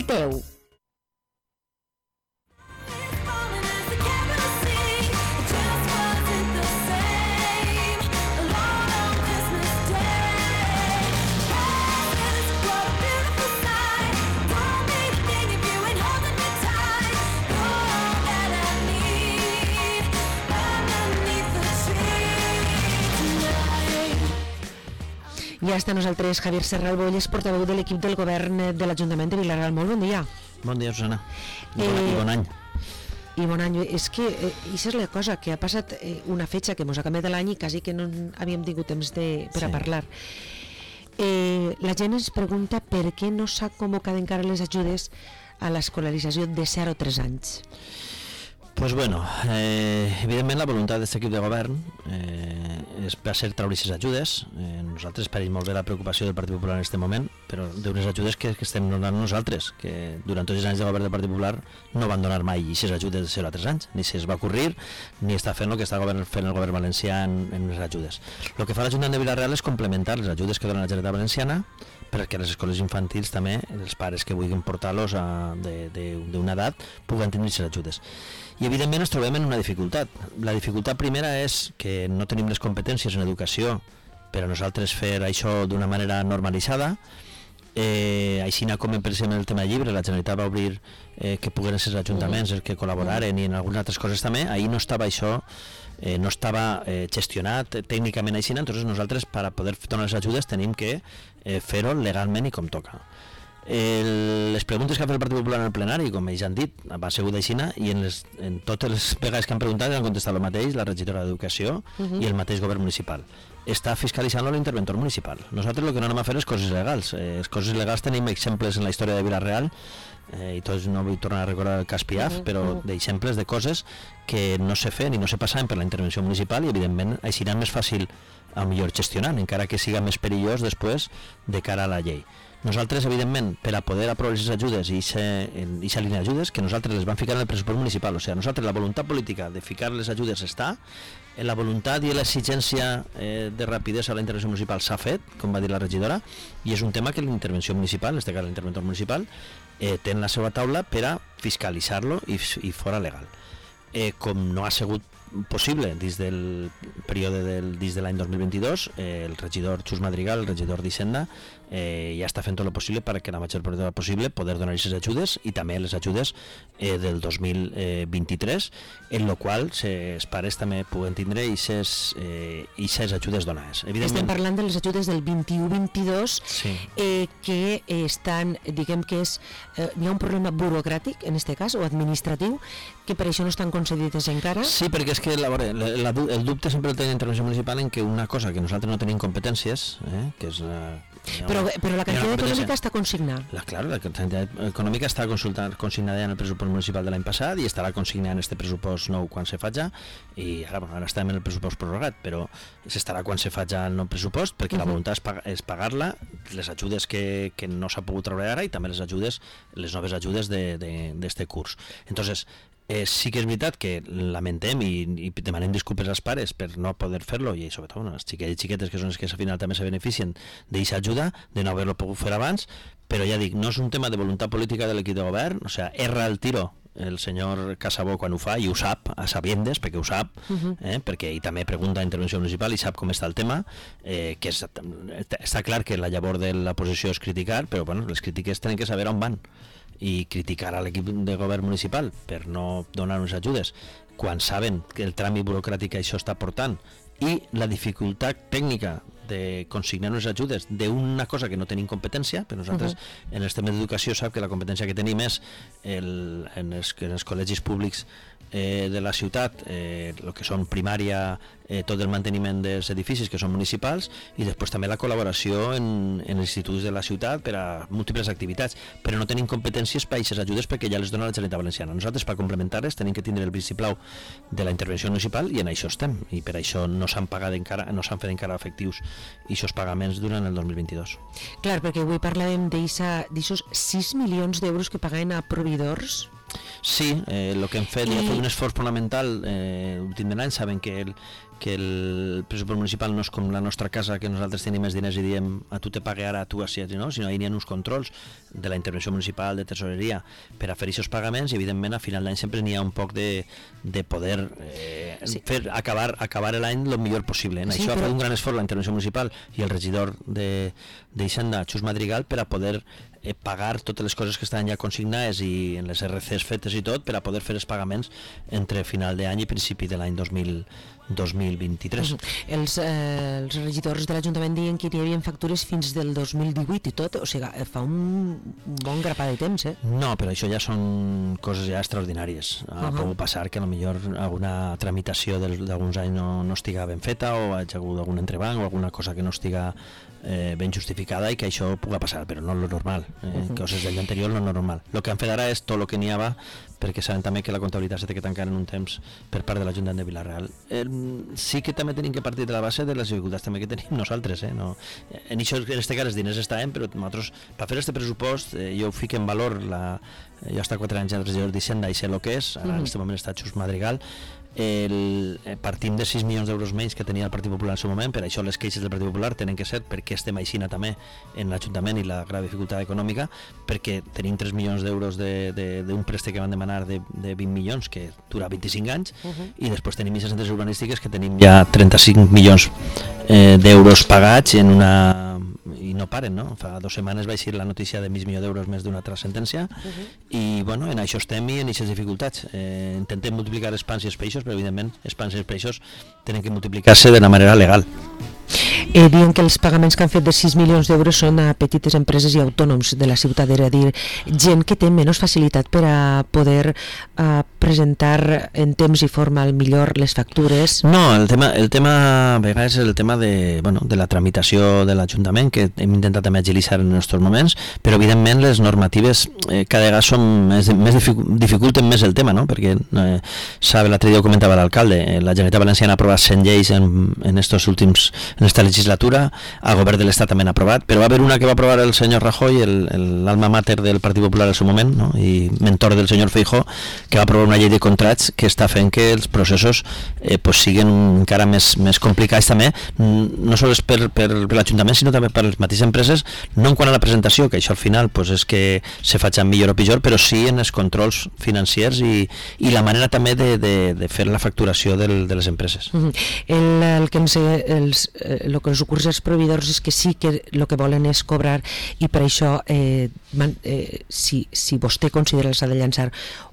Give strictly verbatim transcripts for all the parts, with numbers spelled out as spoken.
teu. Ja està amb nosaltres Javier Serral Bolles, portaveu de l'equip del govern de l'Ajuntament de Vila-real. Molt bon dia. Bon dia, Susana. I bon, eh, i bon any. I bon any. És que eh, això és la cosa, que ha passat eh, una fetge que ens ha canviat l'any i quasi que no havíem tingut temps de, per sí. a parlar. Eh, la gent ens pregunta per què no s'ha convocat encara les ajudes a l'escolarització de zero a tres anys. Pues bueno, eh, evidentment la voluntat d'aquest equip de govern eh, és, va ser treure aquestes ajudes. Eh, nosaltres pareix molt bé la preocupació del Partit Popular en aquest moment, però d'unes ajudes que, que estem donant nosaltres, que durant tots els anys de govern del Partit Popular no van donar mai aquestes ajudes de zero a tres anys, ni se'ls va ocorrir, ni està fent el que està govern, fent el govern valencià en, en les ajudes. El que fa l'Ajuntament de Vila-real és complementar les ajudes que dona la Generalitat Valenciana perquè les escoles infantils també, els pares que vulguin portar-los d'una edat, puguen tenir aquestes ajudes. I evidentment ens trobem en una dificultat. La dificultat primera és que no tenim les competències en educació per a nosaltres fer això d'una manera normalitzada. Eh, així com per exemple el tema de llibres, la Generalitat va obrir eh, que puguen ser els ajuntaments els que col·laboraren i en algunes altres coses també. Ahir no estava això, eh, no estava eh, gestionat tècnicament així, entonces nosaltres per a poder donar les ajudes tenim que eh, fer-ho legalment i com toca. El, les preguntes que ha fet el Partit Popular en el plenari, com ells han dit, va ser d'aixina, i en, les, en totes les vegades que han preguntat han contestat el mateix, la regidora d'Educació uh-huh. i el mateix govern municipal. Està fiscalitzant l'interventor municipal. Nosaltres el que no anem a fer és coses legals. Eh, les coses legals tenim exemples en la història de Vila-real, eh, i tots no vull tornar a recordar el cas Piaf, uh-huh. però uh-huh. d'exemples de coses que no se feien i no se passaven per la intervenció municipal i evidentment així serà més fàcil a millor gestionar, encara que siga més perillós després de cara a la llei. Nosaltres, evidentment, per a poder aprovar les ajudes i aquesta línia d'ajudes, que nosaltres les vam ficar en el pressupost municipal, o sigui, nosaltres la voluntat política de ficar les ajudes està, en la voluntat i l'exigència eh, de rapidesa a la intervenció municipal s'ha fet, com va dir la regidora, i és un tema que l'intervenció municipal, en aquest cas l'interventor municipal, eh, té en la seva taula per a fiscalitzar-lo i, i fora legal. Eh, com no ha sigut possible dins del període del, dins de l'any dos mil vint-i-dos, eh, el regidor Xus Madrigal, el regidor d'Hisenda, eh, ja està fent tot el possible perquè la major part possible poder donar aquestes ajudes i també les ajudes eh, del dos mil vint-i-tres, en el qual els pares també puguen tindre aquestes eh, ajudes donades. Estem parlant de les ajudes del vint-i-u vint-i-dos, sí. eh, que estan, diguem que és, eh, hi ha un problema burocràtic en aquest cas, o administratiu, que per això no estan concedides encara. Sí, perquè és que la, la, la, el dubte sempre el té l'intervenció municipal en que una cosa que nosaltres no tenim competències, eh, que és la, però, però la quantitat econòmica està consignada. La, claro, la quantitat econòmica està consignada en el pressupost municipal de l'any passat i estarà consignada en este pressupost nou quan se faci, i ara, bueno, ara estem en el pressupost prorrogat, però s'estarà quan se faci el nou pressupost, perquè uh-huh. la voluntat és, pag és pagar-la, les ajudes que, que no s'ha pogut treure ara i també les ajudes, les noves ajudes d'este curs. Entonces, Eh, sí que és veritat que lamentem i, i demanem disculpes als pares per no poder fer-lo, i sobretot bueno, les xiquetes i xiquetes que són les que al final també se beneficien d'aquesta ajuda, de no haver-lo pogut fer abans, però ja dic, no és un tema de voluntat política de l'equip de govern, o sigui, erra el tiro el senyor Casabó quan ho fa, i ho sap a sabiendes, perquè ho sap, uh-huh. eh, perquè ell també pregunta a intervenció municipal i sap com està el tema, eh, que és, està clar que la llavor de la posició és criticar, però bueno, les crítiques tenen que saber on van, i criticar a l'equip de govern municipal per no donar unes ajudes quan saben que el tràmit burocràtic això està portant i la dificultat tècnica de consignar unes ajudes d'una cosa que no tenim competència, però nosaltres uh-huh. en el tema d'educació sap que la competència que tenim és el, en, els, en els col·legis públics eh, de la ciutat, eh, el que són primària, eh, tot el manteniment dels edificis que són municipals, i després també la col·laboració en, en els instituts de la ciutat per a múltiples activitats, però no tenim competències per a aquestes ajudes perquè ja les dona la Generalitat Valenciana. Nosaltres, per complementar-les, tenim que tindre el vistiplau de la intervenció municipal, i en això estem, i per això no s'han pagat encara, no s'han fet encara efectius i aquests pagaments durant el dos mil vint-i-dos. Clar, perquè avui parlàvem d'aixos sis milions d'euros que pagaven a proveïdors. Sí, eh, el que hem fet, I... ja fet un esforç fonamental eh, l'últim de l'any, saben que el, que el pressupost municipal no és com la nostra casa, que nosaltres tenim més diners i diem a tu te pague ara, a tu així, no? Sinó hi ha uns controls de la intervenció municipal, de tesoreria, per a fer aquests pagaments, i evidentment a final d'any sempre n'hi ha un poc de, de poder eh, sí. fer, acabar, acabar l'any el millor possible. En sí, això però... ha fet un gran esforç la intervenció municipal i el regidor d'Hisenda, Xus Madrigal, per a poder eh, pagar totes les coses que estan ja consignades i en les R Cs fetes i tot, per a poder fer els pagaments entre final d'any i principi de l'any dos mil vint-i-tres. Els, eh, els regidors de l'Ajuntament diuen que hi havia factures fins del dos mil divuit i tot, o sigui, fa un bon grapat de temps, eh? No, però això ja són coses ja extraordinàries. Ha uh -huh. pogut passar que potser alguna tramitació d'alguns anys no, no estiga ben feta, o ha hagut algun entrebanc o alguna cosa que no estiga eh, ben justificada, i que això pugui passar, però no és lo normal. Eh, uh -huh. Coses d'any anterior no és normal. El que han fet ara és tot el que n'hi havia, perquè saben també que la comptabilitat s'ha de tancar en un temps per part de l'Ajuntament de Vila-real. Eh, sí que també tenim que partir de la base de les dificultats també que tenim nosaltres. Eh? No, en això, en este cas, els diners estan, però nosaltres, per fer este pressupost, eh, jo fico en valor, la, jo he estat quatre anys en regidor d'Hisenda i sé el que és, ara en aquest moment està Xus Madrigal. El, eh, partim de sis milions d'euros menys que tenia el Partit Popular en el seu moment, per això les queixes del Partit Popular tenen que ser perquè estem aixina també en l'Ajuntament i la grave dificultat econòmica, perquè tenim tres milions d'euros d'un préstec que van demanar de, de vint milions que dura vint-i-cinc anys, uh -huh. i després tenim aquestes centres urbanístiques que tenim ja trenta-cinc milions eh, d'euros pagats en una... i no paren, no? Fa dues setmanes va eixir la notícia de mig milió d'euros més d'una altra sentència, uh -huh. i bueno, en això estem i en aquestes dificultats. Eh, intentem multiplicar els pans i els peixos, però evidentment els pans i els peixos tenen que multiplicar-se de la manera legal. Eh, diuen que els pagaments que han fet de sis milions d'euros són a petites empreses i autònoms de la ciutat, és a dir, gent que té menys facilitat per a poder uh, presentar en temps i forma al millor les factures. No, el tema, el tema a vegades és el tema de, bueno, de la tramitació de l'Ajuntament, que hem intentat també agilitzar en aquests moments, però evidentment les normatives eh, cada vegada són més, més dificulten més el tema, no? Perquè eh, sabe, l'altre dia ho comentava l'alcalde, eh, la Generalitat Valenciana ha aprovat cent lleis en, en estos últims en esta legislatura, el govern de l'Estat també ha aprovat, però va haver una que va aprovar el senyor Rajoy, l'alma mater del Partit Popular en el seu moment, no? I mentor del senyor Feijóo, que va aprovar una llei de contrats que està fent que els processos eh, pues, siguin encara més, més complicats també, no sols per, per, per l'Ajuntament, sinó també per les mateixes empreses, no en quant a la presentació, que això al final pues, és que se faci millor o pitjor, però sí en els controls financiers i, i la manera també de, de, de fer la facturació del, de les empreses. Uh-huh. el, el que ens, els, el que els ocorre als proveïdors és que sí que el que volen és cobrar, i per això eh, man, eh, si, si vostè considera que s'ha de llançar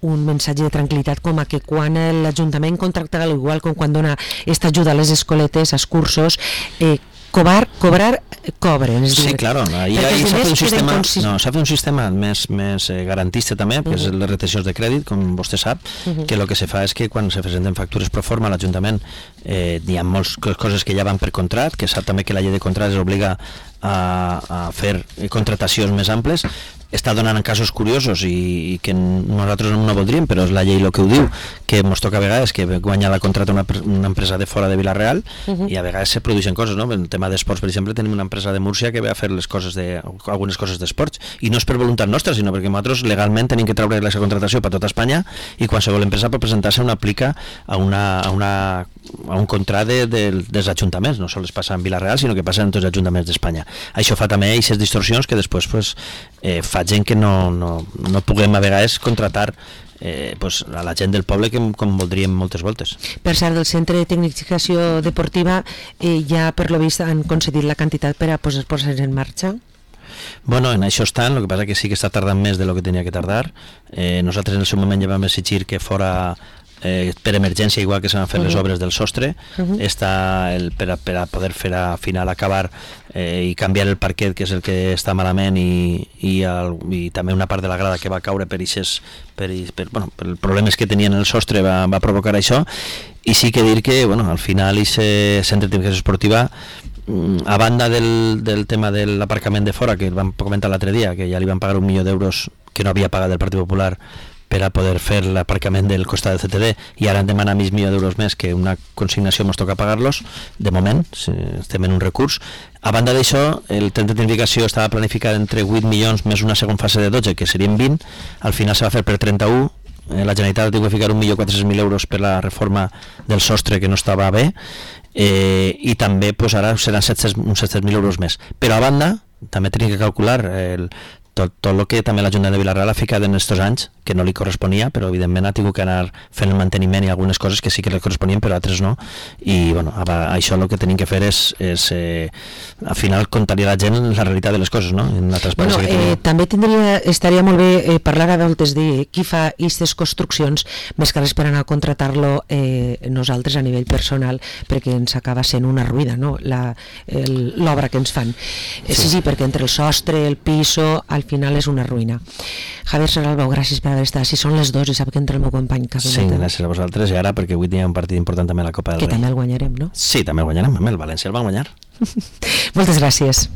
un missatge de tranquil·litat com a que quan l'Ajuntament contracta, igual com quan dona esta ajuda a les escoletes, als cursos, eh, cobrar, cobrar cobren. És sí, dir, claro, ahí, ahí s'ha fet un sistema, consis... no, s'ha fet un sistema més, més eh, garantista també, que uh -huh. és les retencions de crèdit, com vostè sap, uh -huh. que el que se fa és que quan se presenten factures pro forma a l'Ajuntament eh, hi ha moltes coses que ja van per contrat, que sap també que la llei de contrats obliga a, a fer contratacions més amples. Està donant en casos curiosos i, i que nosaltres no voldríem, però és la llei el que ho diu, que ens toca a vegades que guanya la contrata una, una empresa de fora de Vila-real, uh -huh. i a vegades se produeixen coses, no? En el tema d'esports, per exemple, tenim una empresa de Múrcia que ve a fer les coses de, algunes coses d'esports, i no és per voluntat nostra, sinó perquè nosaltres legalment tenim que treure la contratació per tota Espanya, i qualsevol empresa per presentar-se una aplica a, una, a, una, a un contrat de, de, dels ajuntaments, no sols passa en Vila-real, sinó que passa en tots els ajuntaments d'Espanya. Això fa també aquestes distorsions que després pues, eh, fa gent que no, no, no puguem a vegades contratar eh, pues, a la gent del poble que, com voldríem moltes voltes. Per cert, del Centre de Tecnificació Deportiva eh, ja per lo vist han concedit la quantitat per a posar-se en marxa? Bueno, en això estan, el que passa que sí que està tardant més de lo que tenia que tardar. Eh, nosaltres en el seu moment ja vam exigir que fora Eh, per emergència, igual que s'han fet uh -huh. les obres del sostre, uh -huh. està el, per, a, per a poder fer a final acabar eh, i canviar el parquet, que és el que està malament, i, i, el, i també una part de la grada que va caure per, ixes, per, per, bueno, per els problemes que tenien el sostre va, va provocar això. I sí que dir que bueno, al final aquest centre de tecnificació esportiva, a banda del, del tema de l'aparcament de fora, que el vam comentar l'altre dia, que ja li van pagar un milió d'euros que no havia pagat el Partit Popular per a poder fer l'aparcament del costat del C T D, i ara han demanat mig milió d'euros més, que una consignació ens toca pagar-los, de moment, estem en un recurs. A banda d'això, el centre de tecnificació estava planificat entre vuit milions més una segona fase de dotze, que serien vint, al final se va fer per trenta-un, eh, la Generalitat ha tingut que ficar un milió quatre-cents mil euros per la reforma del sostre que no estava bé, eh, i també pues, ara seran set-cents, uns set-cents mil euros més. Però a banda, també tenim que calcular el, tot, tot el que també l'Ajuntament de Vila-real ha ficat en aquests anys, que no li corresponia, però evidentment ha tingut que anar fent el manteniment i algunes coses que sí que li corresponien, però altres no, i bueno, això el que tenim que fer és, és eh, al final contar-li a la gent la realitat de les coses, no? En la bueno, que eh, també tindria, estaria molt bé eh, parlar a voltes de qui fa aquestes construccions, més que res per anar a contratar-lo eh, nosaltres a nivell personal, perquè ens acaba sent una ruïna, no? L'obra que ens fan. Sí. sí, sí, perquè entre el sostre, el piso, al final és una ruïna. Javier Serralbou, gràcies per haver estat. Si són les dos i sap que entra el meu company Cabineta. Sí, gràcies a vosaltres, i ara perquè avui hi ha un partit important també a la Copa del Rei. Que també el guanyarem, no? Sí, també el guanyarem, el València el va guanyar. Moltes gràcies.